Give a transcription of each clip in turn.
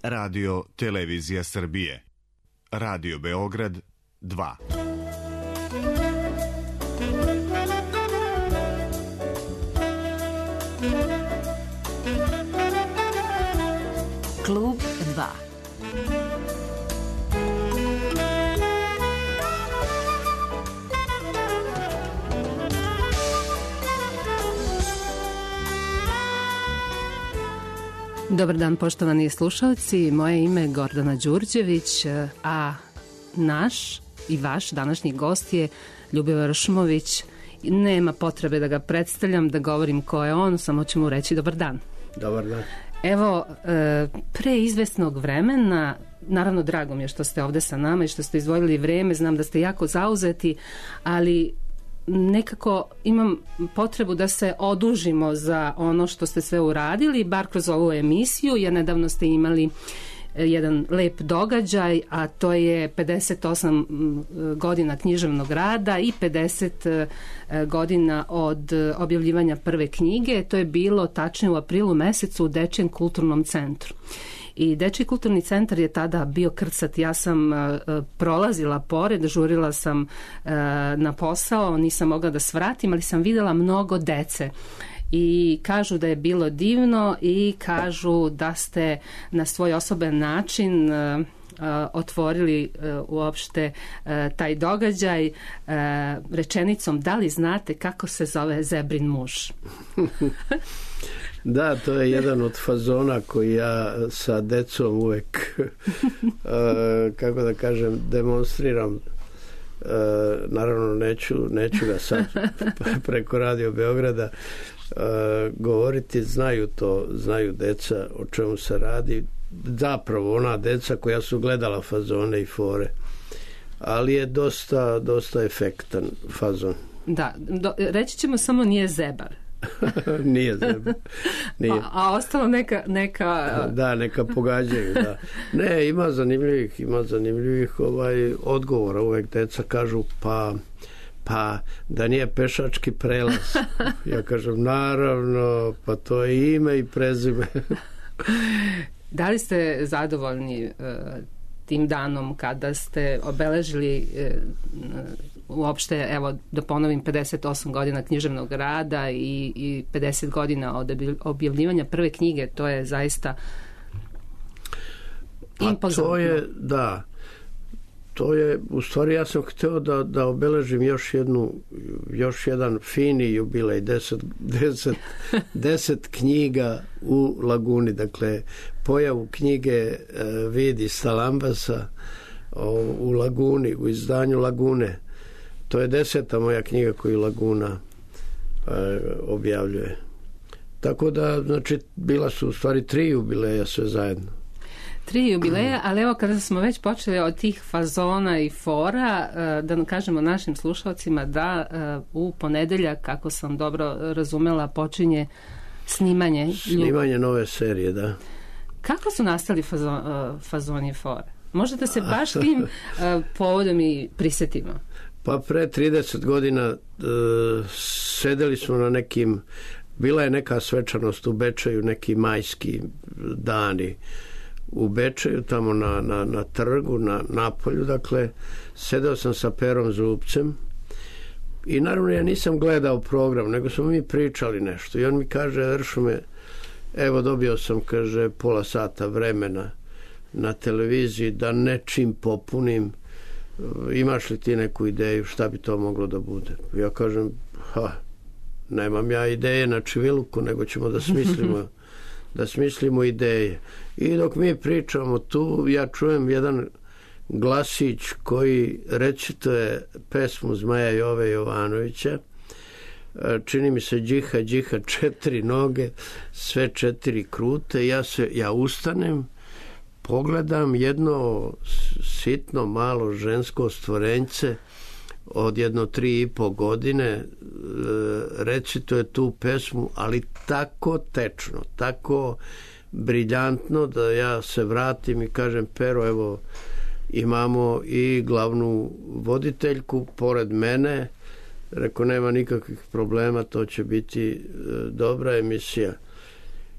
Radio Televizija Srbije. Radio Beograd 2. Klub 2. Dobar dan, poštovani slušalci. Moje ime je Gordana Đurđević, a naš i vaš današnji gost je Ljubivoje Šumović. Nema potrebe da ga predstavljam, da govorim ko je on, samo ću mu reći dobar dan. Dobar dan. Evo, pre izvesnog vremena, naravno drago mi je što ste ovde sa nama i što ste izdvojili vreme, znam da ste jako zauzeti, ali nekako imam potrebu da se odužimo za ono što ste sve uradili, bar kroz ovu emisiju, jer nedavno ste imali jedan lep događaj, a to je 58 godina književnog rada i 50 godina od objavljivanja prve knjige. To je bilo tačnije u aprilu mesecu u Dečijem kulturnom centru. I Dečiji kulturni centar je tada bio krcat. Ja sam prolazila pored, žurila sam na posao, nisam mogla da svratim, ali sam videla mnogo dece. I kažu da je bilo divno i kažu da ste na svoj osoben način otvorili uopšte taj događaj rečenicom: da li znate kako se zove zebrin muž? Da, to je jedan od fazona koji ja sa decom uvek kako da kažem, demonstriram. Naravno neću ga sad preko Radio Beograda govoriti, znaju deca o čemu se radi, zapravo ona deca koja su gledala fazone i fore, ali je dosta efektan fazon. Da, reći ćemo samo nije zebar. Nije zebar. Nije. A ostalo neka... Da, neka pogađaju, da. Ne, ima zanimljivih odgovora. Uvek deca kažu pa da nije pešački prelaz. Ja kažem naravno, pa to je ime i prezime. Da li ste zadovoljni tim danom kada ste obeležili uopšte, evo da ponovim, 58 godina književnog rada i 50 godina od objavljivanja prve knjige? To je zaista impozantno. To je, u stvari ja sam hteo da obeležim još jedan fini jubilej, 10 knjiga u Laguni, dakle pojavu knjige Vidi Stalambasa u Laguni, u izdanju Lagune. To je 10. moja knjiga koju Laguna objavljuje. Tako da, znači, bila su u stvari 3 jubileja sve zajedno. 3 jubileja, ali evo kada smo već počeli od tih fazona i fora, da kažemo našim slušalcima da u ponedeljak, kako sam dobro razumela, počinje snimanje nove serije, da. Kako su nastali fazoni i fore? Možete se baš tim povodom i prisetimo? Pa pre 30 godina sedeli smo na nekim, bila je neka svečanost u Bečeju, neki majski dani u Bečeju, tamo na trgu, na napolju, dakle, sedeo sam sa Perom Zubcem i naravno ja nisam gledao program, nego smo mi pričali nešto i on mi kaže: Ršume, evo dobio sam, kaže, pola sata vremena na televiziji da nečim popunim, imaš li ti neku ideju šta bi to moglo da bude? Ja kažem, nemam ja ideje na čiviluku, nego ćemo da smislimo ideje. I dok mi pričamo tu, ja čujem jedan glasić koji recituje pesmu Zmaja Jove Jovanovića. Čini mi se džiha, džiha, 4 noge, sve 4 krute. Ja ustanem, pogledam jedno sitno malo žensko stvorenjce od 3,5 godine, recituje tu pesmu, ali tako tečno, tako briljantno da ja se vratim i kažem: Pero, evo, imamo i glavnu voditeljku pored mene. Rekao, nema nikakvih problema, to će biti dobra emisija.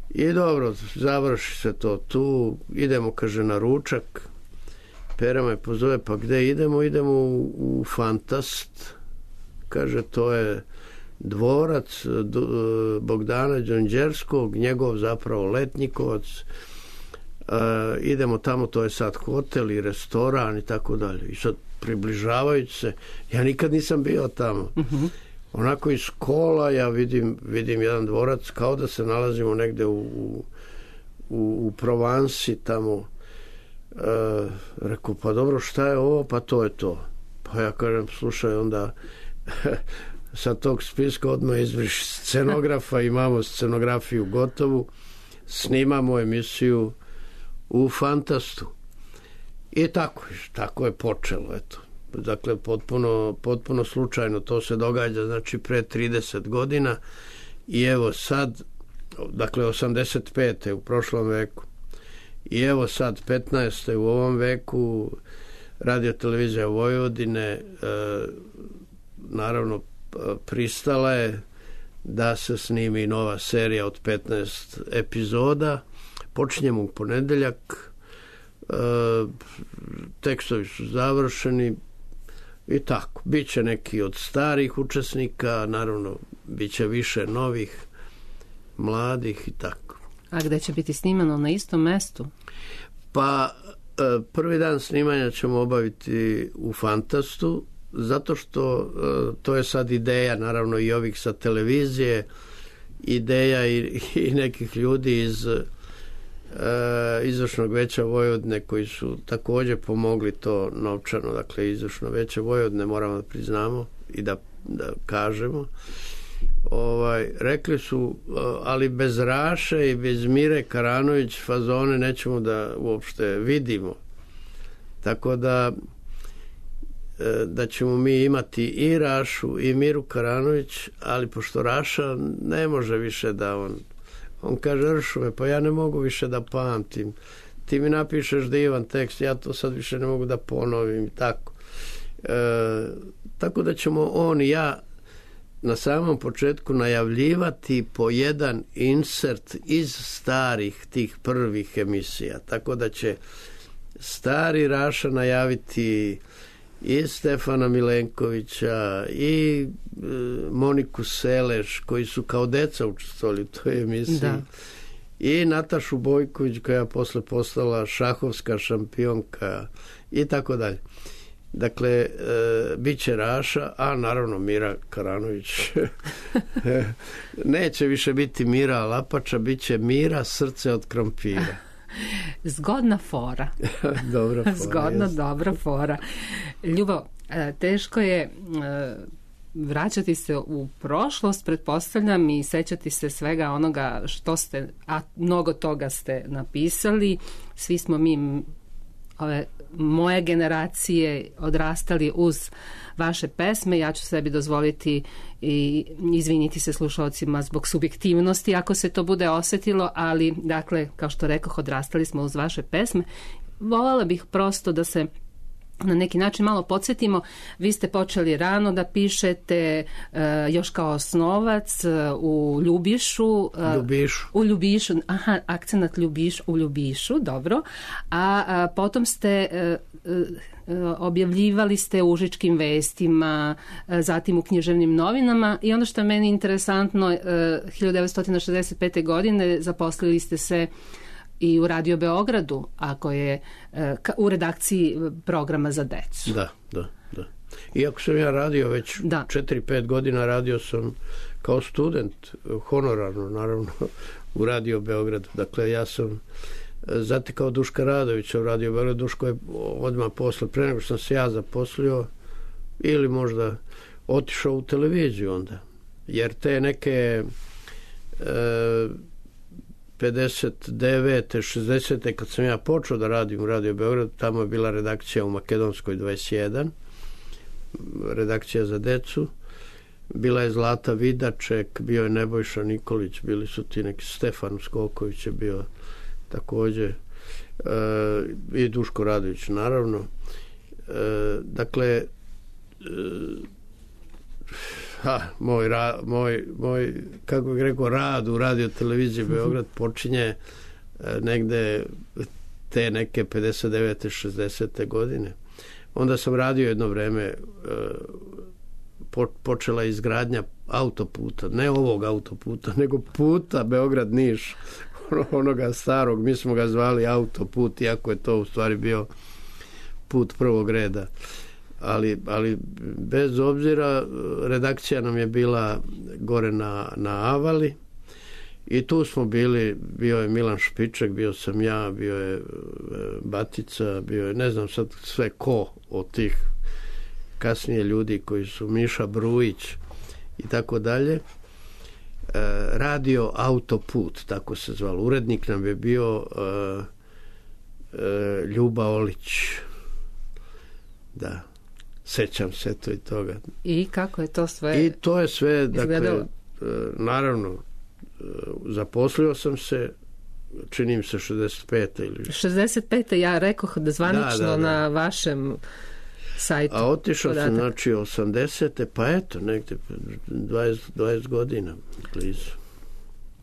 I dobro, završi se to tu, idemo, kaže, na ručak. Pera me pozove, pa gde idemo? Idemo u Fantast. Kaže, to je dvorac Bogdana Đonđerskog, njegov zapravo letnikovac. Idemo tamo, to je sad hotel i restoran i tako dalje. I sad približavajući se, ja nikad nisam bio tamo. Onako iz kola ja vidim jedan dvorac kao da se nalazimo negde u Provansi tamo. Rekao, pa dobro, šta je ovo? Pa to je to. Pa ja kažem, slušaj, onda sa tog spiska odmah izbriši scenografa, imamo scenografiju gotovu, snimamo emisiju u Fantastu. I tako je počelo, eto. Dakle, potpuno slučajno to se događa, znači pre 30 godina i evo sad, dakle 85. u prošlom veku i evo sad 15. u ovom veku Radio televizija Vojvodine naravno pristala je da se snimi nova serija od 15 epizoda. Počinjemo u ponedeljak, tekstovi su završeni i tako. Biće neki od starih učesnika, naravno biće više novih, mladih i tako. A gde će biti snimano? Na istom mestu? Pa prvi dan snimanja ćemo obaviti u Fantastu, zato što to je sad ideja, naravno i ovih sa televizije, ideja i nekih ljudi iz izvršnog veća Vojvodine koji su također pomogli to novčano. Dakle, izvršno veće Vojvodine, moramo da priznamo i da kažemo, rekli su, ali bez Raše i bez Mire Karanović fazone nećemo da uopšte vidimo, tako da ćemo mi imati i Rašu i Miru Karanović, ali pošto Raša ne može više da on kaže, Ršume, pa ja ne mogu više da pamtim, ti mi napišeš divan tekst, ja to sad više ne mogu da ponovim, tako. Tako da ćemo on i ja na samom početku najavljivati po jedan insert iz starih tih prvih emisija, tako da će stari Raša najaviti i Stefana Milenkovića i Moniku Seleš, koji su kao deca učestvovali u toj emisiji, da. I Natašu Bojković, koja je posle postala šahovska šampionka i tako dalje. Dakle, bit će Raša, a naravno Mira Karanović. Neće više biti Mira Lapača, bit će Mira Srce od krompira. Zgodna fora. Dobra fora. Zgodna, dobra fora. Ljubo, teško je vraćati se u prošlost, pretpostavljam, i sećati se svega onoga što ste, a mnogo toga ste napisali. Svi smo mi, ove moje generacije, odrastali uz vaše pesme. Ja ću sebi dozvoliti i izviniti se slušalcima zbog subjektivnosti ako se to bude osetilo, ali dakle, kao što rekoh, odrastali smo uz vaše pesme. Voljela bih prosto da se na neki način malo podsjetimo. Vi ste počeli rano da pišete, još kao osnovac u Ljubišu. U Ljubišu, aha, akcenat u Ljubišu, dobro. A potom ste objavljivali ste u Užičkim vestima, zatim u književnim novinama, i ono što je meni interesantno, 1965. godine zaposlili ste se i u Radio Beogradu, ako je u redakciji programa za decu. Da. Iako sam ja radio već 4-5 godina, radio sam kao student, honorarno naravno, u Radio Beogradu. Dakle, ja sam zatekao Duška Radovića u Radio Beogradu. Duško je odmah posle, pre nego sam se ja zaposlio, ili možda otišao u televiziju onda. Jer te neke 59. 60. kad sam ja počeo da radim u Radio Beogradu, tamo je bila redakcija u Makedonskoj 21, redakcija za decu, bila je Zlata Vidaček, bio je Nebojša Nikolić, bili su ti neki, Stefan Skoković je bio također, i Duško Radović naravno. Dakle, Moj kako bih rekao, rad u Radio televiziji Beograd počinje negde te neke 59. 60. godine. Onda sam radio jedno vreme, počela izgradnja autoputa, ne ovog autoputa, nego puta Beograd-Niš, onoga starog, mi smo ga zvali autoput, iako je to u stvari bio put prvog reda. Ali bez obzira, redakcija nam je bila gore na Avali i tu smo bili, bio je Milan Špiček, bio sam ja, bio je Batica, bio je, ne znam sad sve ko od tih kasnije ljudi koji su, Miša Brujić i tako dalje. Radio Autoput, tako se zvalo. Urednik nam je bio Ljuba Olić. Da, sećam se to i toga. I kako je to sve? I to je sve, dakle, naravno, zaposlio sam se, činim se 65. ili 65. ja rekoh da zvanično na vašem sajtu. A otišao sam, znači, 80. pa eto, negde 20 godina blizu.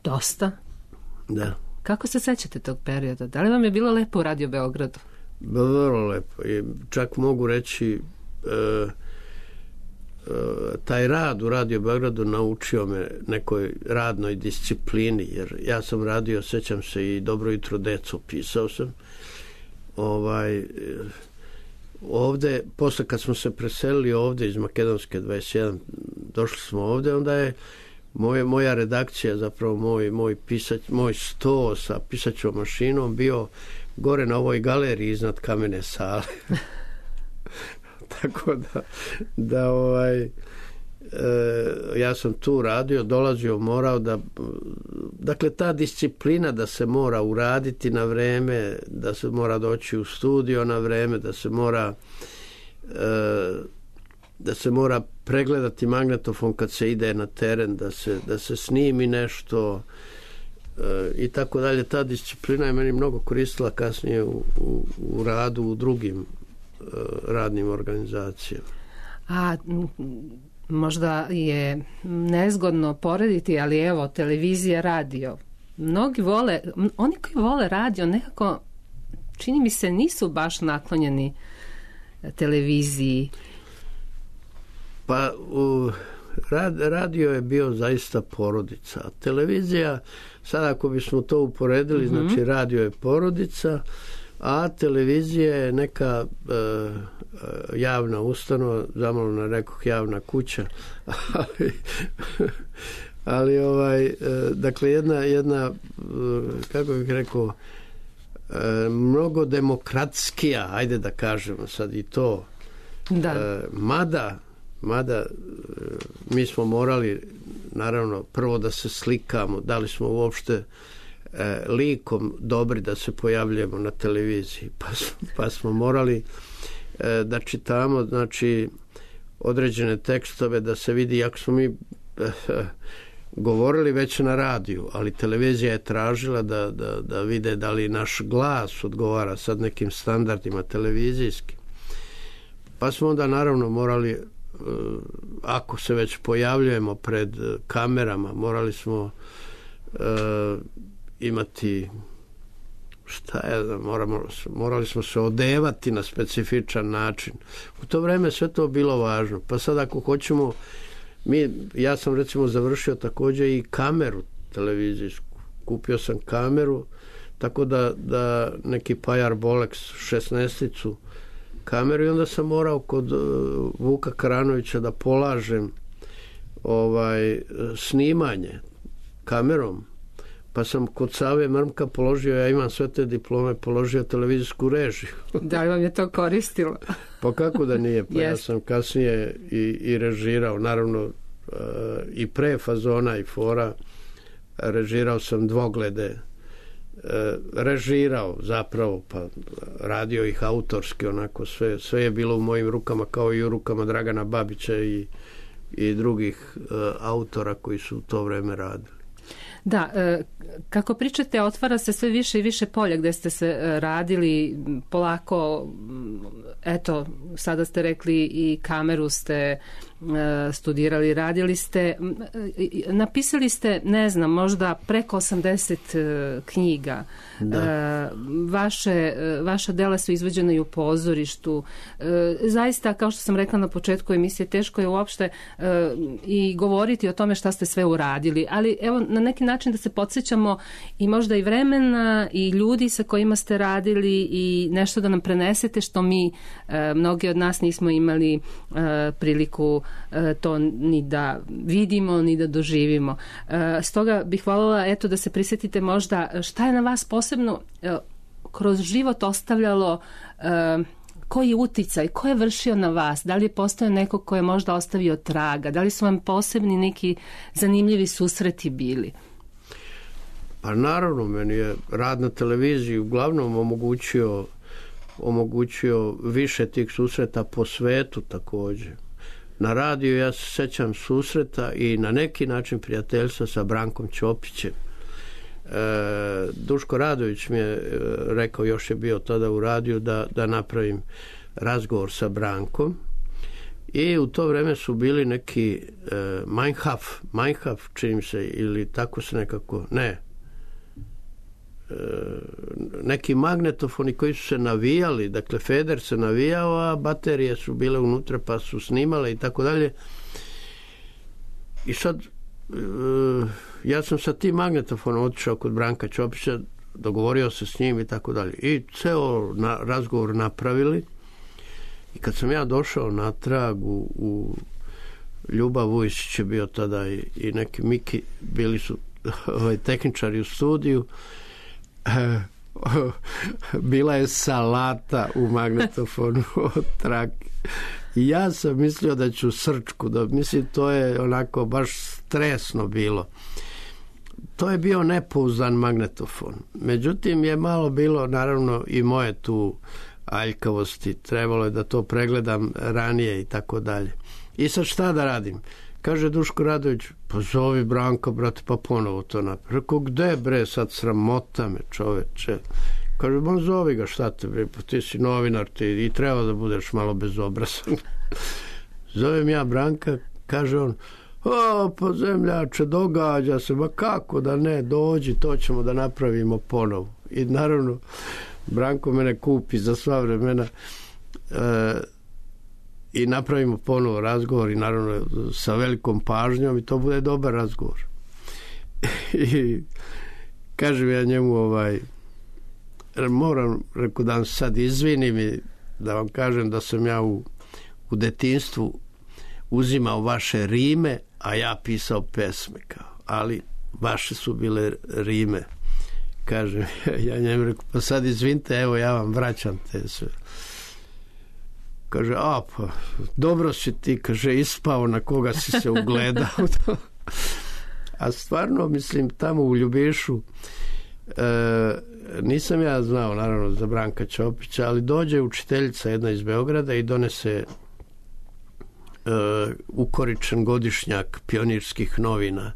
Dosta? Da. Kako se sećate tog perioda? Da li vam je bilo lepo u Radio Beogradu? Vrlo lepo. I čak mogu reći, taj rad u Radio Beogradu naučio me nekoj radnoj disciplini, jer ja sam radio, sećam se, i Dobro jutro deco, pisao sam. Ovde, posle kad smo se preselili ovde iz Makedonske 21, došli smo ovde, onda je moja redakcija, zapravo moj sto sa pisaćom mašinom bio gore na ovoj galeriji iznad kamene sale. Tako da ja sam tu radio, dolazio, morao da, dakle, ta disciplina da se mora uraditi na vreme, da se mora doći u studio na vreme, da se mora pregledati magnetofon kad se ide na teren, da se snimi nešto i tako dalje. Ta disciplina je meni mnogo koristila kasnije u radu u drugim radnim organizacijama. A možda je nezgodno porediti, ali evo, televizija, radio. Mnogi vole, oni koji vole radio nekako, čini mi se, nisu baš naklonjeni televiziji. Pa radio je bio zaista porodica. A televizija, sad ako bismo to uporedili, znači radio je porodica, a televizija je neka javna ustanova, zamalo rekoh javna kuća, ali dakle jedna kako bih rekao, mnogo demokratskija, ajde da kažemo sad i to. Da. Mada mi smo morali, naravno, prvo da se slikamo, da li smo uopšte likom dobri da se pojavljujemo na televiziji, pa smo morali da čitamo, znači, određene tekstove, da se vidi, jako smo mi govorili već na radiju, ali televizija je tražila da vide da li naš glas odgovara sad nekim standardima televizijskim. Pa smo onda naravno morali, ako se već pojavljujemo pred kamerama, morali smo imati, morali smo se odevati na specifičan način. U to vreme sve to bilo važno. Pa sad ako hoćemo, ja sam recimo završio također i kameru televizijsku. Kupio sam kameru, tako da neki Pajar Bolex 16-icu kameru, i onda sam morao kod Vuka Karanovića da polažem snimanje kamerom. Pa sam kod Save Mrmka položio, ja imam sve te diplome, položio televizijsku režiju. Da li vam je to koristilo? Pa kako da nije, pa ja sam kasnije i režirao, naravno i pre Fazona i Fora, režirao sam Dvoglede, režirao zapravo, pa radio ih autorski, onako sve je bilo u mojim rukama, kao i u rukama Dragana Babića i drugih autora koji su u to vreme radili. Da, kako pričate, otvara se sve više i više polja gde ste se radili polako, eto, sada ste rekli i kameru ste studirali, radili ste, napisali ste, ne znam, možda preko 80 knjiga. Vaša dela su izvođena i u pozorištu. Zaista, kao što sam rekla na početku emisije, teško je uopšte i govoriti o tome šta ste sve uradili, ali evo na neki način da se podsjećamo i možda i vremena i ljudi sa kojima ste radili i nešto da nam prenesete što mi, mnogi od nas nismo imali priliku to ni da vidimo, ni da doživimo. Stoga bih voljela da se prisjetite možda šta je na vas posebno kroz život ostavljalo, koji uticaj, ko je vršio na vas, da li je postojao neko ko je možda ostavio traga, da li su vam posebni neki zanimljivi susreti bili? Pa naravno, meni je rad na televiziji uglavnom omogućio više tih susreta po svetu također. Na radiju ja se sjećam susreta i na neki način prijateljstva sa Brankom Ćopićem. Duško Radović mi je rekao, još je bio tada u radiju, da napravim razgovor sa Brankom, i u to vrijeme su bili neki Meinhof čini se, ili tako se nekako, neki magnetofoni koji su se navijali, dakle feder se navijao, a baterije su bile unutra pa su snimale i tako dalje. I sad ja sam sa tim magnetofonom otišao kod Branka Ćopića, dogovorio se s njim i tako dalje. I ceo razgovor napravili, i kad sam ja došao natrag u Ljubav Vujčić je bio tada i neki Miki, bili su tehničari u studiju, bila je salata u magnetofonu od trake. I ja sam mislio da ću srčku, mislim, to je onako baš stresno bilo. To je bio nepouzdan magnetofon. Međutim, je malo bilo, naravno, i moje tu aljkavosti. Trebalo je da to pregledam ranije i tako dalje. I sad šta da radim? Kaže Duško Radović, pa zovi Branka, brate, pa ponovo to napravi. Rekao, gde bre, sad sramota me, čoveče. Kaže, bon, zovi ga, šta te bre, pa ti si novinar, ti i treba da budeš malo bezobrazan. Zovem ja Branka, kaže on, pa zemljače, događa se, ma kako da ne, dođi, to ćemo da napravimo ponovo. I naravno, Branko mene kupi za sva vremena, i napravimo ponovo razgovor, i naravno sa velikom pažnjom, i to bude dobar razgovor. I kažem ja njemu, moram, rekao, da vam sad izvinim i da vam kažem da sam ja u detinjstvu uzimao vaše rime, a ja pisao pesme, ali vaše su bile rime. Kažem, ja njemu rekao, pa sad izvinite, evo ja vam vraćam te sve. Kaže, pa dobro si ti, kaže, ispao, na koga si se ugledao. A stvarno, mislim, tamo u Ljubišu nisam ja znao, naravno, za Branka Ćopića, ali dođe učiteljica jedna iz Beograda i donese ukoričen godišnjak Pionirskih novina,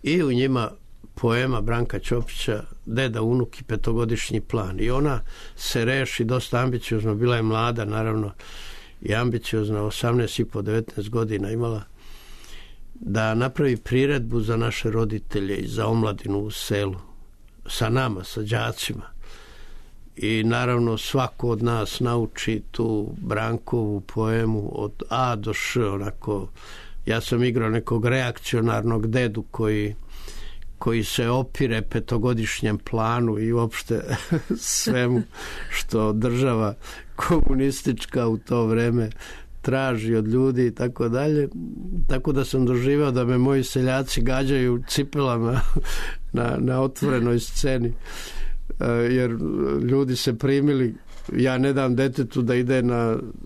i u njima poema Branka Ćopića Deda, unuk i petogodišnji plan. I ona se reši dosta ambiciozno, bila je mlada, naravno, i ambiciozna, 18,5-19 godina imala, da napravi priredbu za naše roditelje i za omladinu u selu, sa nama, sa đacima. I naravno svako od nas nauči tu Brankovu poemu od A do Š, onako. Ja sam igrao nekog reakcionarnog dedu koji se opire petogodišnjem planu i uopšte svemu što država komunistička u to vreme traži od ljudi i tako dalje. Tako da sam doživao da me moji seljaci gađaju cipelama na otvorenoj sceni, jer ljudi se primili, ja ne dam detetu da ide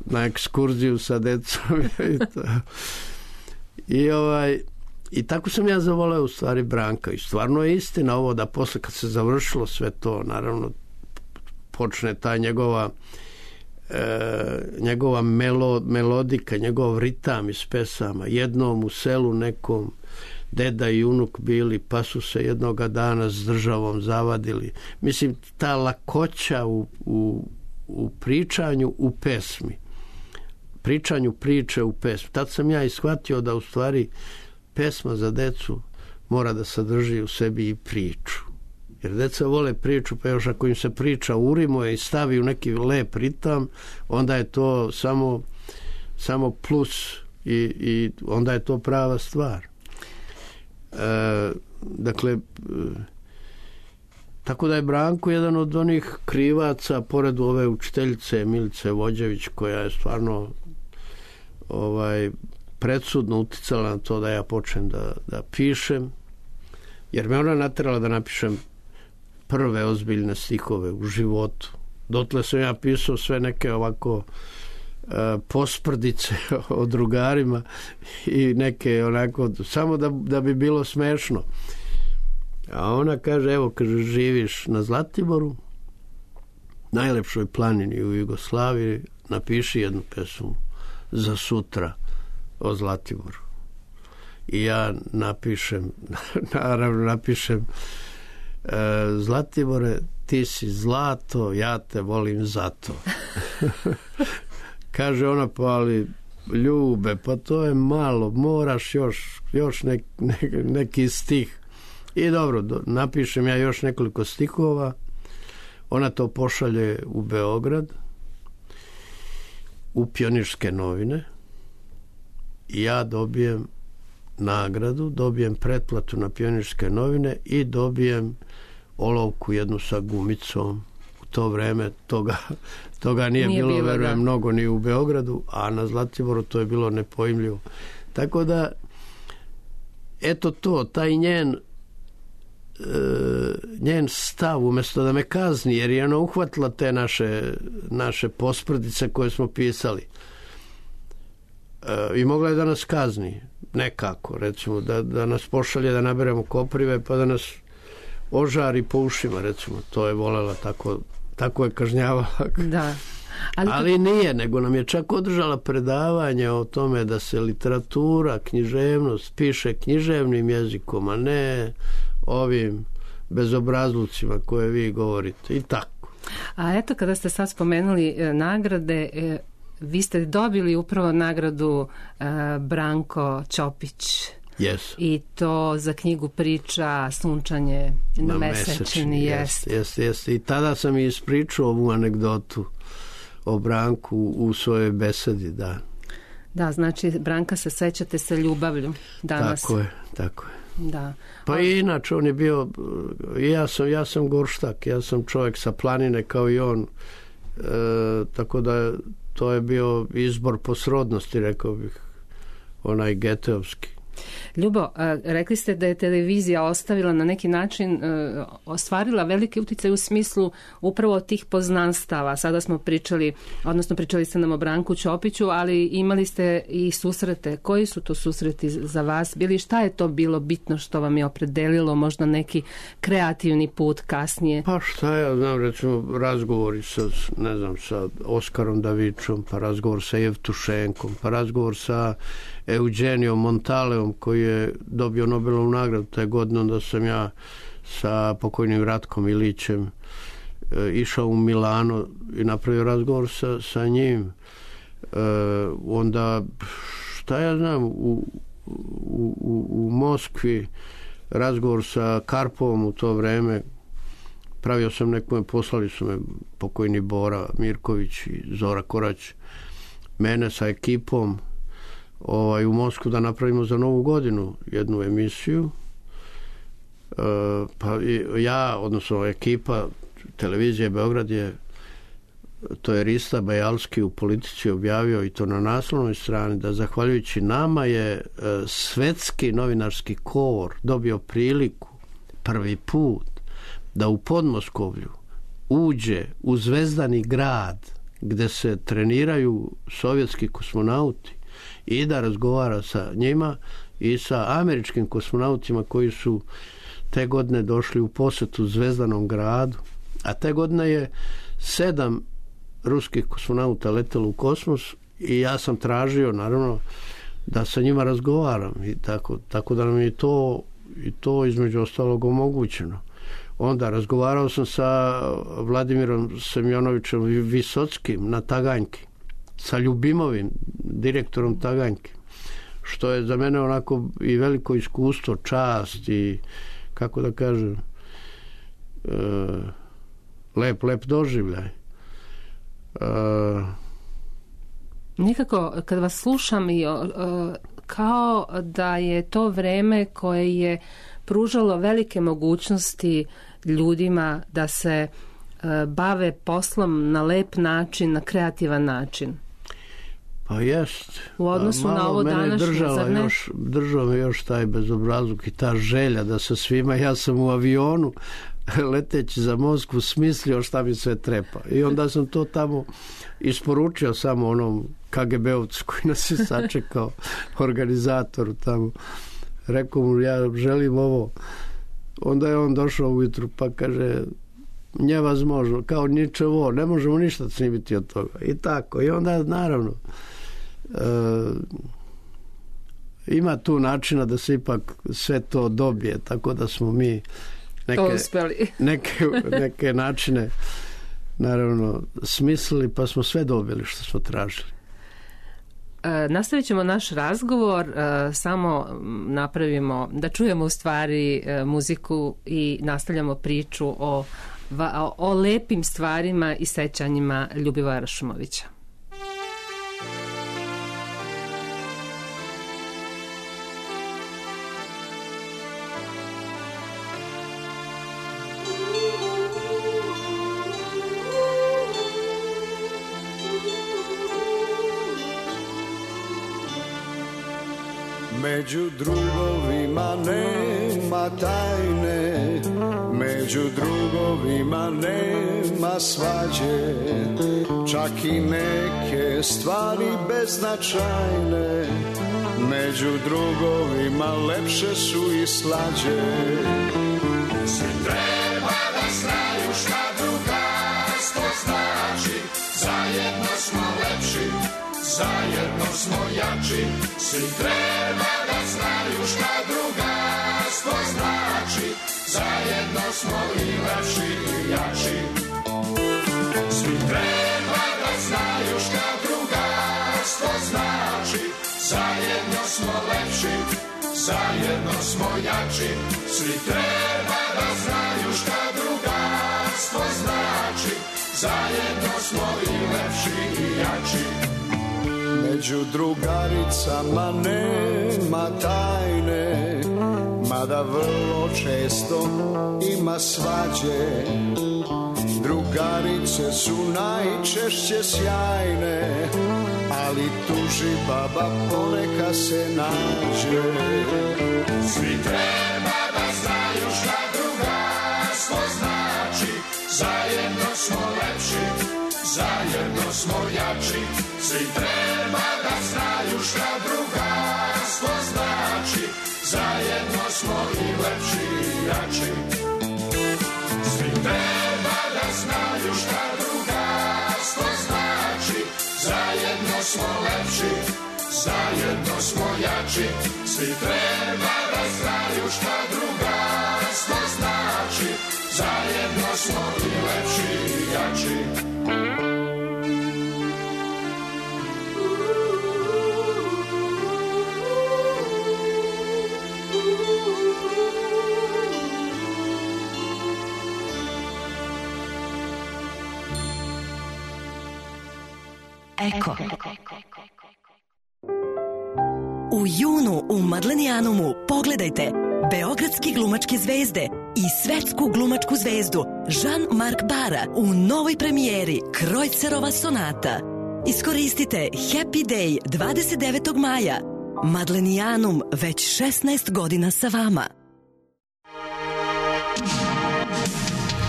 na ekskurziju sa decom. I tako sam ja zavoleo u stvari Branka. I stvarno je istina ovo da posle kad se završilo sve to, naravno počne ta njegova melodika, njegov ritam iz pesama. Jednom u selu nekom deda i unuk bili, pa su se jednoga dana s državom zavadili. Mislim, ta lakoća u pričanju, u pesmi. pričanju priče u pesmi. Tad sam ja ishvatio da u stvari pesma za decu mora da sadrži u sebi i priču. Jer deca vole priču, pa još ako im se priča urimuje i stavi u neki lep ritam, onda je to samo plus i onda je to prava stvar. Dakle, tako da je Branko jedan od onih krivaca, pored ove učiteljice Milice Vođević, koja je stvarno predsudno uticala na to da ja počnem da pišem, jer me ona naterala da napišem prve ozbiljne stihove u životu. Dotle sam ja pisao sve neke ovako posprdice o drugarima i neke onako, samo da bi bilo smešno. A ona kaže, evo, kaže, živiš na Zlatiboru, najlepšoj planini u Jugoslaviji, napiši jednu pesmu za sutra o Zlatiboru. I ja napišem Zlatibore, ti si zlato, ja te volim zato. Kaže ona, pa ali Ljube, pa to je malo, moraš još neki stih. I dobro, napišem ja još nekoliko stihova, ona to pošalje u Beograd, u Pionirske novine, i ja dobijem nagradu, dobijem pretplatu na Pionirske novine i dobijem olovku jednu sa gumicom. U to vreme toga nije bilo, verujem, mnogo ni u Beogradu, a na Zlatiboru to je bilo nepojmljivo. Tako da, eto to, taj njen stav, umjesto da me kazni, jer je ona uhvatila te naše posprdice koje smo pisali, i mogla je da nas kazni nekako, recimo da nas pošalje da naberemo koprive pa da nas ožari po ušima, recimo, to je volela, tako je kažnjavala. Da. Ali nije, nego nam je čak održala predavanje o tome da se literatura, književnost piše književnim jezikom, a ne ovim bezobrazlucima koje vi govorite, i tako. A eto, kada ste sad spomenuli nagrade, vi ste dobili upravo nagradu Branko Ćopić. Yes. I to za knjigu priča Sunčanje na mesečini. Jeste. I tada sam i ispričao ovu anegdotu o Branku u svojoj besedi, da. Da, znači Branka se sećate sa ljubavlju danas. Tako je. Da. Pa i inače on je bio, ja sam gorštak, ja sam čovjek sa planine kao i on, tako da to je bio izbor po srodnosti, rekao bih, onaj geteovski. Ljubo, rekli ste da je televizija ostavila na neki način, ostvarila veliki utjecaj u smislu upravo tih poznanstava. Sada smo pričali ste nam o Branku Ćopiću, ali imali ste i susrete. Koji su to susreti za vas bili? Šta je to bilo bitno što vam je opredelilo možda neki kreativni put kasnije? Pa šta ja znam, recimo razgovori sa Oskarom Davičom, pa razgovor sa Jevtušenkom, pa razgovor sa Eugenijom Montaleom, koji je dobio Nobelovu nagradu taj godine. Onda sam ja sa pokojnim Ratkom Ilićem išao u Milano i napravio razgovor sa njim. Onda, šta ja znam, u Moskvi razgovor sa Karpovom u to vreme. Pravio sam poslali su me pokojni Bora Mirković i Zora Korać, mene sa ekipom u Moskvu da napravimo za Novu godinu jednu emisiju. Pa ja, odnosno ekipa televizije Beograd to je Rista Bajalski u Politici objavio, i to na naslovnoj strani, da zahvaljujući nama je svetski novinarski kor dobio priliku prvi put da u Podmoskovlju uđe u Zvezdani grad gde se treniraju sovjetski kosmonauti i da razgovara sa njima i sa američkim kosmonautima koji su te godine došli u posetu Zvezdanom gradu, a te godine je 7 ruskih kosmonauta letelo u kosmos i ja sam tražio, naravno, da sa njima razgovaram, i tako da nam je to između ostalog omogućeno. Onda razgovarao sam sa Vladimirom Semjonovićem Visockim na Taganjki, sa Ljubimovim, direktorom Taganjke, što je za mene onako i veliko iskustvo, čast i, kako da kažem, lep doživljaj. Nekako kad vas slušam i kao da je to vreme koje je pružalo velike mogućnosti ljudima da se bave poslom na lep način, na kreativan način. Pa jest. U odnosu na ovo današnje, zar ne? Držao me još taj bezobrazluk i ta želja da sa svima, ja sam u avionu leteći za Moskvu smislio šta mi sve trepa. I onda sam to tamo isporučio samo onom KGB-ovcu koji nas je sačekao, organizatoru tamo. Rekao mu, ja želim ovo. Onda je on došao ujutru pa kaže, nevazmožno, kao ničevo, ne možemo ništa snimiti od toga. I tako. I onda, naravno, ima tu načina da se ipak sve to dobije, tako da smo mi neke načine naravno smislili, pa smo sve dobili što smo tražili. Nastavit ćemo naš razgovor, samo napravimo, da čujemo u stvari muziku i nastavljamo priču o lepim stvarima i sećanjima Ljubivoja Rašumovića. Među drugovima nema tajne, među drugovima nema svađe, čak i neke stvari beznačajne, među drugovima lepše su i slađe. Svi treba da znaju šta drugarstvo znači, zajedno smo lepši, zajedno smo jači. Svi treba da znaju šta drugarstvo znači, zajedno smo i lepši i jači. Svi treba da znaju šta drugarstvo znači, zajedno smo lepši, zajedno smo jači. Svi treba da znaju šta drugarstvo znači, zajedno smo i lepši i jači. Među drugaricama nema tajne, mada vrlo često ima svađe. Drugarice su najčešće sjajne, ali tuži baba poneka se nađe. Svi treba da znaju šta drugarstvo znači, zajedno smo lepši, zajedno smo jači. Svi treba da znaju šta drugarstvo znači, zajedno smo i lepši i jači. Svi treba da znaju šta drugarstvo znači, zajedno smo lepši, zajedno smo jači. Svi treba da znaju šta drugarstvo znači, zajedno smo i lepši i jači. Eko. U junu u Madlenijanumu pogledajte beogradski glumačke zvezde i svetsku glumačku zvezdu Jean-Marc Bara u novoj premijeri Krojcerova sonata. Iskoristite Happy Day 29. maja. Madlenijanum već 16 godina sa vama.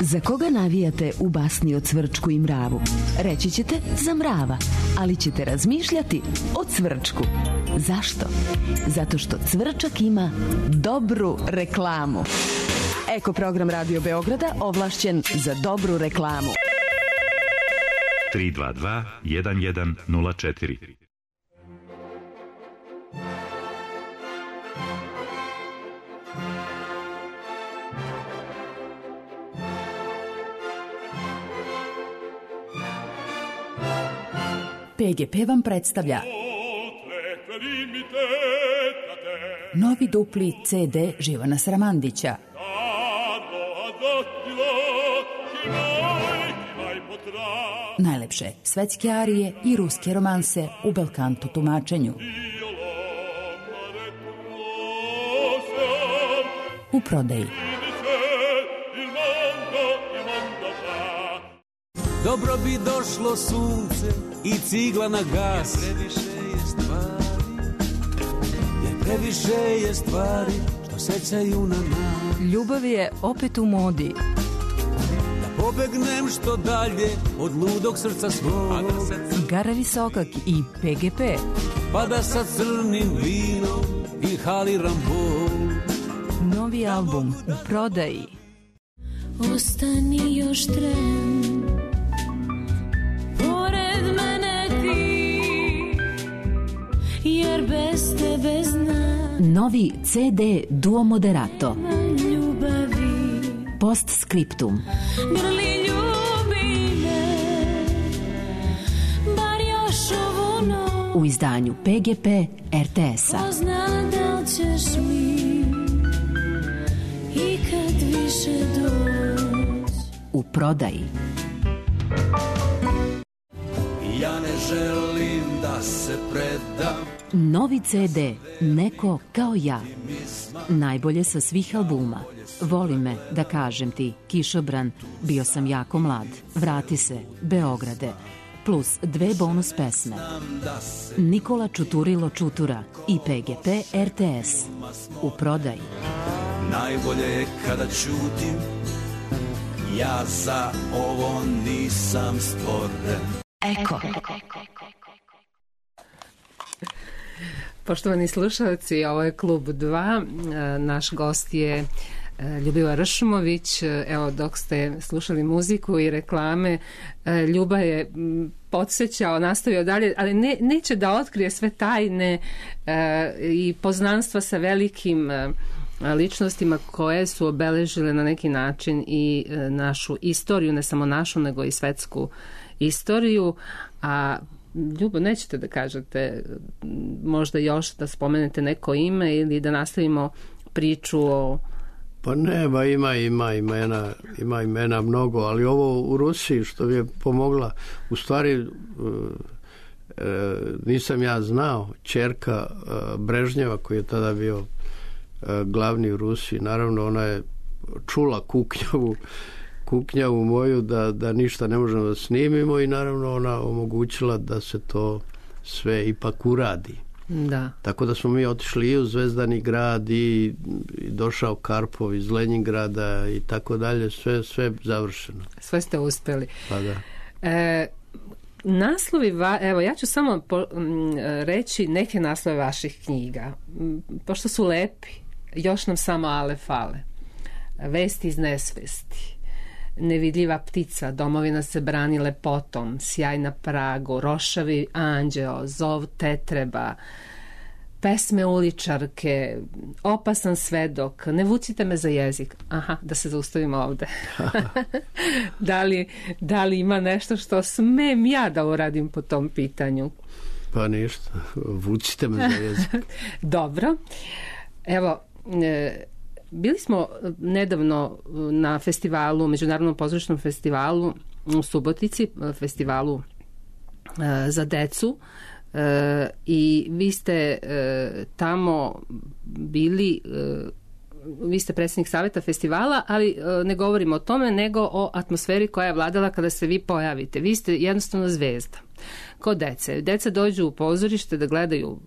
Za koga navijate u basni o Cvrčku i mravu? Reći ćete za mrava, ali ćete razmišljati o Cvrčku. Zašto? Zato što Cvrčak ima dobru reklamu. Eko program Radio Beograda ovlašćen za dobru reklamu. 322 1104. PGP vam predstavlja novi dupli CD Živana Sramandića. Najlepše svetske arije i ruske romanse u belkanto tumačenju. U prodaji. Dobro bi došlo sunce i cigla na gas. Jer previše je stvari što sećaju na nas. Ljubav je opet u modi. Da pobegnem što dalje od ludog srca svog. Gara Visokak i PGP. Pa da sa crnim vinom inhaliram bol. Novi album u prodaji. Ostani još tren, pored mene ti, jer bez tebe znam. Novi CD Duo Moderato. Ljubavi. Postscriptum. Grli ljubi me, bar još ovu noć. U izdanju PGP RTS-a. Ko zna da li ćeš mi ikad više doći. U prodaji. Ja ne želim da se predam. Novi CD Neko kao ja. Najbolje sa svih albuma. Voli me, da kažem ti, Kišobran, bio sam jako mlad, vrati se, Beograde, plus 2 bonus pesme. Nikola Čuturilo Čutura i PGP RTS. U prodaji. Najbolje je kada ćutim, ja za ovo nisam stvoren. Eko. Poštovani slušalci, ovo je Klub 2. Naš gost je Ljubivoje Ršumović. Evo, dok ste slušali muziku i reklame, Ljuba je podsjećao, nastavio dalje, ali neće da otkrije sve tajne i poznanstva sa velikim ličnostima koje su obeležile na neki način i našu istoriju, ne samo našu, nego i svetsku istoriju. A Ljubo, nećete da kažete možda još da spomenete neko ime ili da nastavimo priču o... Pa ne, ba ima imena mnogo, ali ovo u Rusiji što mi je pomogla, u stvari nisam ja znao, ćerka Brežnjeva koji je tada bio glavni u Rusiji, naravno ona je čula kuknjavu moju da ništa ne možemo da snimimo i naravno ona omogućila da se to sve ipak uradi. Da. Tako da smo mi otišli i u Zvezdani grad i došao Karpov iz Leningrada i tako dalje, sve završeno. Sve ste uspeli. Pa da. Naslovi, evo ja ću samo reći neke naslove vaših knjiga, pošto su lepi. Još nam samo ale fale. Vesti iz nesvesti, Nevidljiva ptica, Domovina se brani lepotom, Sjaj na pragu, Rošavi anđeo, Zov tetreba, Pesme uličarke, Opasan svedok, Ne vucite me za jezik. Aha, da se zaustavimo ovde. Da li ima nešto što smem ja da uradim po tom pitanju? Pa ništa, vucite me za jezik. Dobro. Evo, bili smo nedavno na festivalu, Međunarodnom pozorišnom festivalu u Subotici, festivalu za decu, i vi ste tamo bili, vi ste predsjednik savjeta festivala, ali ne govorimo o tome, nego o atmosferi koja je vladala kada se vi pojavite. Vi ste jednostavno zvezda. Kod dece. Deca dođu u pozorište da gledaju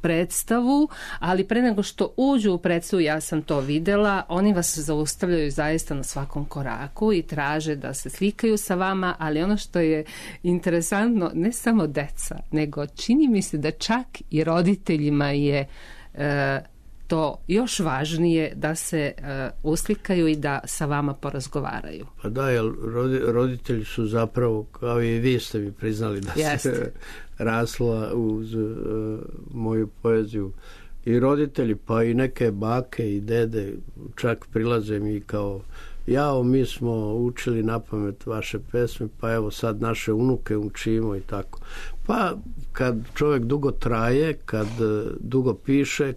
predstavu, ali pre nego što uđu u predstavu, ja sam to videla, oni vas zaustavljaju zaista na svakom koraku i traže da se slikaju sa vama, ali ono što je interesantno, ne samo deca, nego čini mi se da čak i roditeljima je to još važnije da se uslikaju i da sa vama porazgovaraju. Pa da, jer roditelji su zapravo, kao i vi ste mi priznali da se rasla uz moju poeziju. I roditelji, pa i neke bake i dede čak prilaze mi kao jao, mi smo učili napamet vaše pesme, pa evo sad naše unuke učimo i tako. Pa kad čovjek dugo traje, kad dugo piše,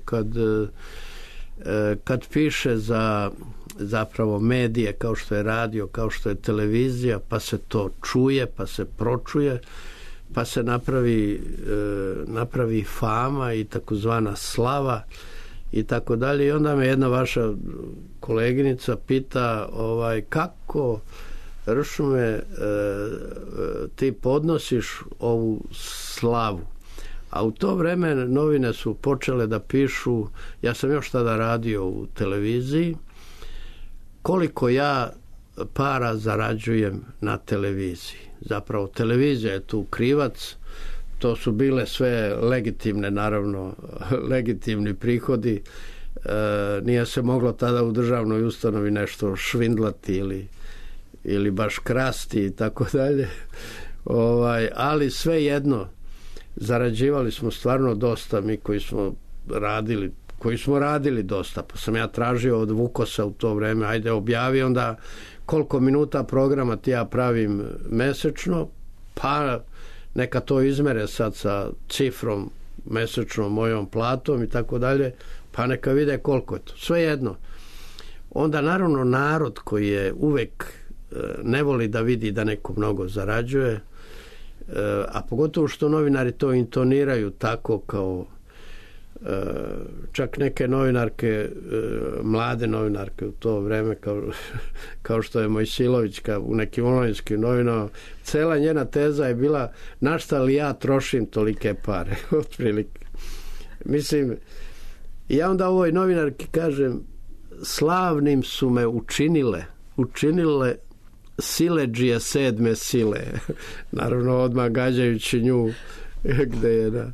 kad piše za zapravo medije kao što je radio, kao što je televizija, pa se to čuje, pa se pročuje, pa se napravi fama i takozvana slava i tako dalje. I onda me jedna vaša koleginica pita kako, Ršume, ti podnosiš ovu slavu. A u to vreme novine su počele da pišu, ja sam još tada radio u televiziji, koliko ja para zarađujem na televiziji. Zapravo televizija je tu krivac, to su bile sve legitimne, naravno, legitimni prihodi. Nije se moglo tada u državnoj ustanovi nešto švindlati ili baš krasti i tako dalje. Ali svejedno, zarađivali smo stvarno dosta, mi koji smo radili dosta, pa sam ja tražio od Vukosa u to vreme, ajde objavi onda koliko minuta programa ti ja pravim mesečno, pa neka to izmere sad sa cifrom mesečnom mojom platom i tako dalje, pa neka vide koliko je to. Svejedno. Onda naravno narod koji je uvek ne voli da vidi da neko mnogo zarađuje, a pogotovo što novinari to intoniraju tako kao čak neke novinarke, mlade novinarke u to vreme kao što je Mojsilovićka u nekim novinskim novinama, cela njena teza je bila na šta li ja trošim tolike pare otprilike. Mislim, ja onda ovoj novinarki kažem, slavnim su me učinile siledžije 7. sile. Naravno odmah gađajući nju gde je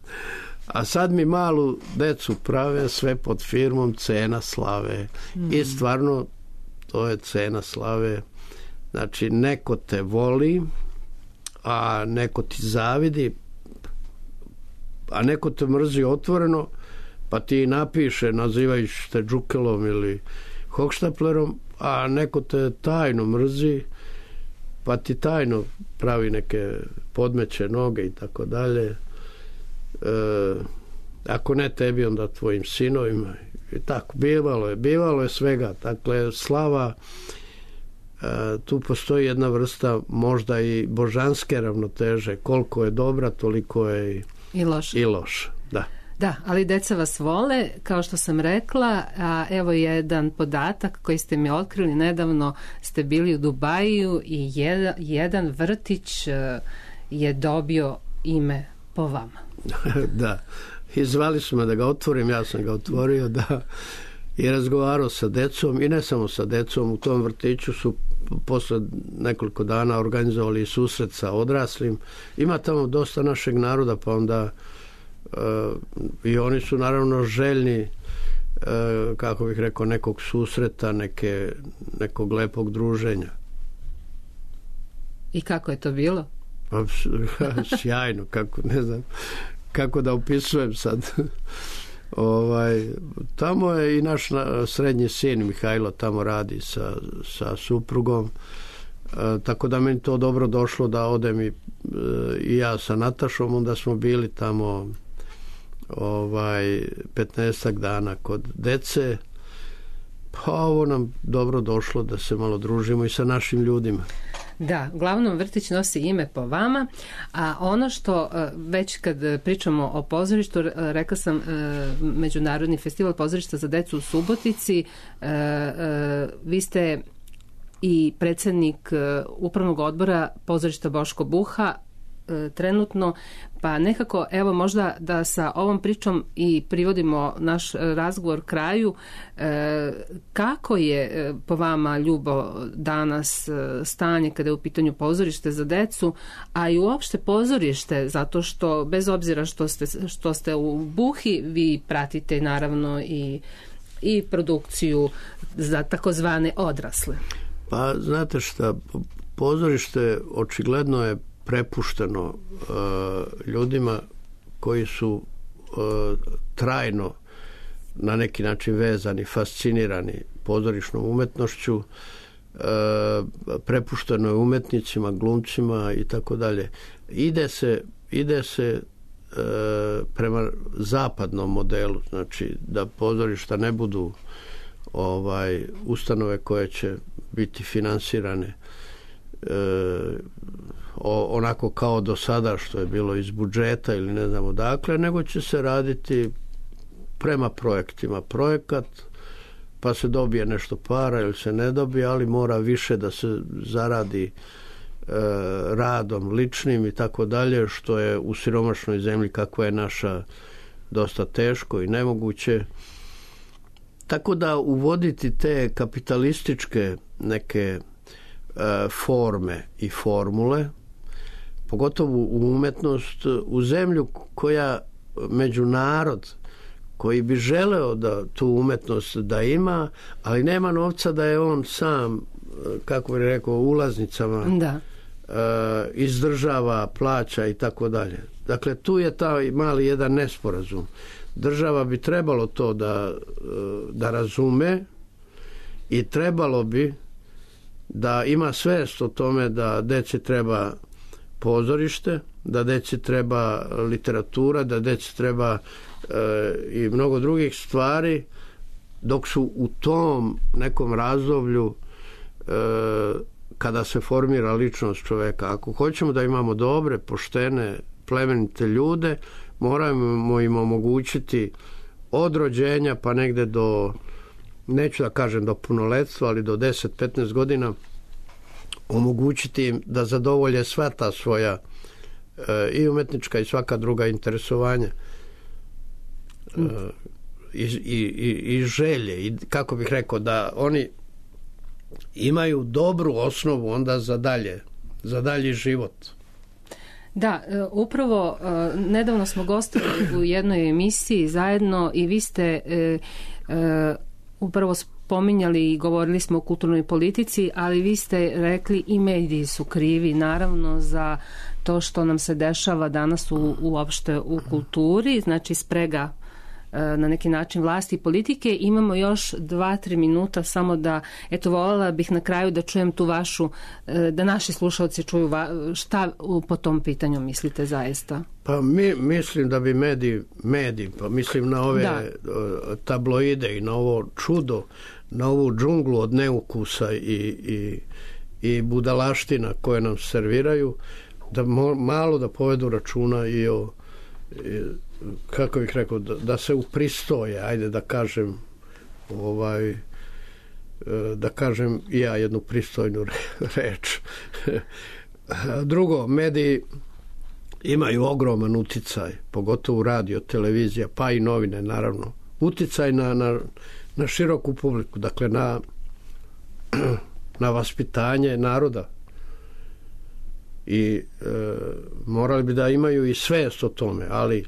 a sad mi malu decu prave sve pod firmom cena slave. I stvarno to je cena slave. Znači neko te voli, a neko ti zavidi, a neko te mrzi otvoreno, pa ti napiše nazivajući te džukelom ili hohštaplerom, a neko te tajno mrzi, pa ti tajno pravi neke podmeće noge i tako dalje. Ako ne tebi, onda tvojim sinovima i tako, bivalo je svega. Dakle, slava, tu postoji jedna vrsta možda i božanske ravnoteže, koliko je dobra, toliko je i loša. Da, ali deca vas vole, kao što sam rekla, a evo jedan podatak koji ste mi otkrili, nedavno ste bili u Dubaju i jedan vrtić je dobio ime po vama. Da, i zvali su me da ga otvorim, ja sam ga otvorio, da, i razgovarao sa decom, i ne samo sa decom, u tom vrtiću su posle nekoliko dana organizovali susret sa odraslim. Ima tamo dosta našeg naroda, pa onda i oni su naravno željni, kako bih rekao, nekog susreta, nekog lepog druženja. I kako je to bilo? Sjajno, ne znam kako da opisujem sad. Tamo je i naš srednji sin Mihajlo tamo radi sa suprugom, tako da meni to dobro došlo da odem i ja sa Natašom, onda smo bili tamo 15 dana kod dece, pa ovo nam dobro došlo da se malo družimo i sa našim ljudima. Da, uglavnom vrtić nosi ime po vama, a ono što već kad pričamo o pozorištu, rekla sam Međunarodni festival pozorišta za decu u Subotici, vi ste i predsjednik upravnog odbora pozorišta Boško Buha trenutno, pa nekako evo možda da sa ovom pričom i privodimo naš razgovor kraju. Kako je po vama, Ljubo, danas stanje kada je u pitanju pozorište za decu, a i uopšte pozorište, zato što bez obzira što ste u Buhi, vi pratite naravno i produkciju za takozvane odrasle. Pa znate šta, pozorište očigledno je prepušteno ljudima koji su trajno na neki način vezani, fascinirani pozorišnom umetnošću. prepušteno je umetnicima, glumcima i tako dalje. Ide se prema zapadnom modelu, znači da pozorišta ne budu ustanove koje će biti finansirane onako kao do sada što je bilo iz budžeta ili ne znam odakle, nego će se raditi prema projektima. Projekat, pa se dobije nešto para ili se ne dobije, ali mora više da se zaradi radom ličnim i tako dalje, što je u siromašnoj zemlji kakva je naša dosta teško i nemoguće. Tako da uvoditi te kapitalističke neke forme i formule, pogotovo u umetnost, u zemlju koja među narod koji bi želeo da tu umetnost da ima, ali nema novca da je on sam, kako bi rekao, ulaznicama izdržava, plaća i tako dalje. Dakle, tu je taj mali jedan nesporazum. Država bi trebalo to da razume i trebalo bi da ima svest o tome da deci treba pozorište, da deci treba literatura, da deci treba i mnogo drugih stvari, dok su u tom nekom razdoblju kada se formira ličnost čoveka. Ako hoćemo da imamo dobre, poštene, plemenite ljude, moramo im omogućiti od rođenja pa negde do, neću da kažem do punoletstva, ali do 10-15 godina, omogućiti im da zadovolje sva ta svoja i umetnička i svaka druga interesovanja i želje, i kako bih rekao, da oni imaju dobru osnovu onda za dalji život. Da, upravo nedavno smo gostovali u jednoj emisiji zajedno i vi ste upravo spominjali i govorili smo o kulturnoj politici, ali vi ste rekli i mediji su krivi naravno za to što nam se dešava danas uopšte u kulturi, znači sprega na neki način vlasti i politike. Imamo još 2-3 minuta samo da, eto, voljela bih na kraju da čujem tu vašu, da naši slušalci čuju šta po tom pitanju mislite zaista. Pa mislim da bi mediji, pa mislim na ove tabloide i na ovo čudo, na ovu džunglu od neukusa i budalaština koje nam serviraju, da malo da povedu računa i o, kako bih rekao, da se upristoje, ajde da kažem, da kažem i ja jednu pristojnu reč. Drugo, mediji imaju ogroman uticaj, pogotovo radio, televizija, pa i novine, naravno. Uticaj na široku publiku, dakle na vaspitanje naroda. I morali bi da imaju i svest o tome, ali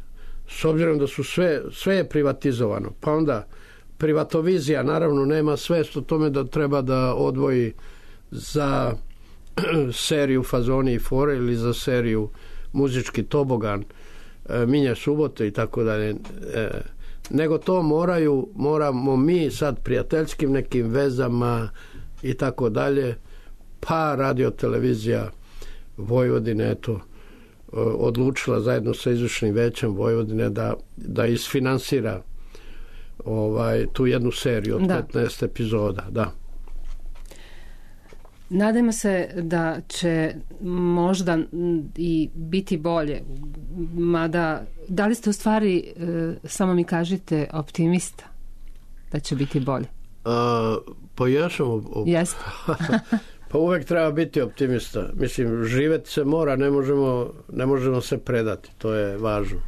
s obzirom da su sve je privatizovano, pa onda privatovizija naravno nema svest o tome da treba da odvoji za seriju Fazoni i fore ili za seriju Muzički tobogan, Minje subote i tako dalje, nego to moramo mi sad prijateljskim nekim vezama i tako dalje, pa radio televizija Vojvodine odlučila zajedno sa izvršnim većem Vojvodine da isfinansira tu jednu seriju od 15 epizoda. Da. Nadamo se da će možda i biti bolje, mada da li ste u stvari, samo mi kažite, optimista da će biti bolje? Pa ja sam Jeste. Pa uvek treba biti optimista. Mislim, živeti se mora, ne možemo se predati, to je važno.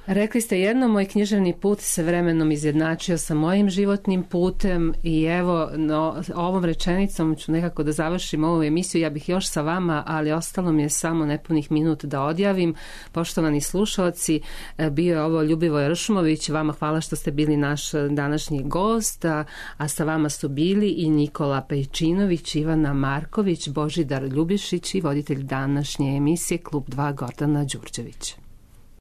Rekli ste jedno, moj književni put se vremenom izjednačio sa mojim životnim putem i evo, ovom rečenicom ću nekako da završim ovu emisiju. Ja bih još sa vama, ali ostalo mi je samo nepunih minut da odjavim. Poštovani slušalci, bio je ovo Ljubivoj Ršumović. Vama hvala što ste bili naš današnji gost, a sa vama su bili i Nikola Pejčinović, Ivana Marković, Božidar Ljubišić i voditelj današnje emisije Klub 2 Gordana Đurđević.